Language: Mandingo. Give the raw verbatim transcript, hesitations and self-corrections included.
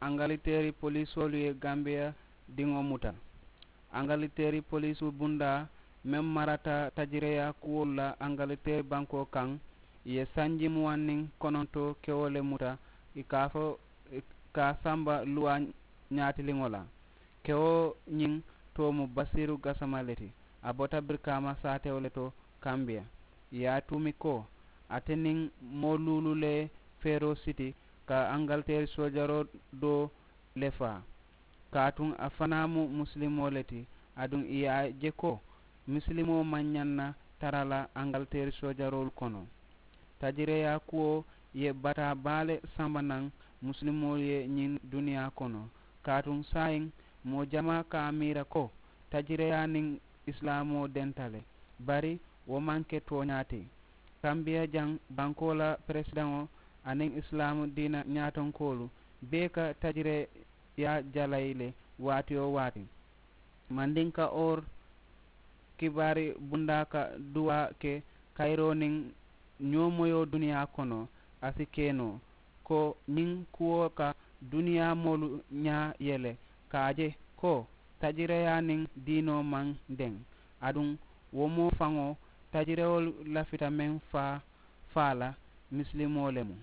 Angaliteeri poliisoolu ye gambiya diŋo muta. Angaliteeri poliisoo bundaa meŋ marata tajireyaa kuwolu la angaliteeri bankoo kaŋ, ì ye sanji muwaŋ niŋ kononto kewo le muta, ì ka a fo ka a samba luwaa ñaatiliŋo la. Kewo ñiŋ too mu basiiru gasama le ti. A bota birikaama saatewo le to kambiya. Ì ye a tuumi ko ate niŋ moo luulu le ye feeroo siti ka angaliteeri soojaroo doo le faa. Kaatuŋ a fanaa mu musilimoo le ti. Aduŋ ì ye a je ko musilimoo maŋ ñaŋ na tara la angaliteeri soojaroolu kono. Tajireyaa kuwo ye bataa baa le samba naŋ musilimoolu ye ñiŋ duniyaa kono. Kaatuŋ saayiŋ moo jamaa ka a miira ko tajireyaa niŋ isilaamoo denta le. Bari wo maŋ ke tooñaa ti. Kambiya jaŋ bankoo la peresidaŋo aniŋ isilaamu diina ñaatonkoolu bee ka tajireyaa jalayi le waati-wo-waati. Mandinka or kibaari bundaa ka duwaa ke kayiroo niŋ ñoomoyoo duniyaa kono a si ke noo ko ñiŋ kuwo ka duniyaa moolu ñaa yele ka a je ko tajireyaa niŋ diinoo maŋ deŋ. Aduŋ wo moo faŋo tajirewolu lafita meŋ faa faa la misilimoo le mu.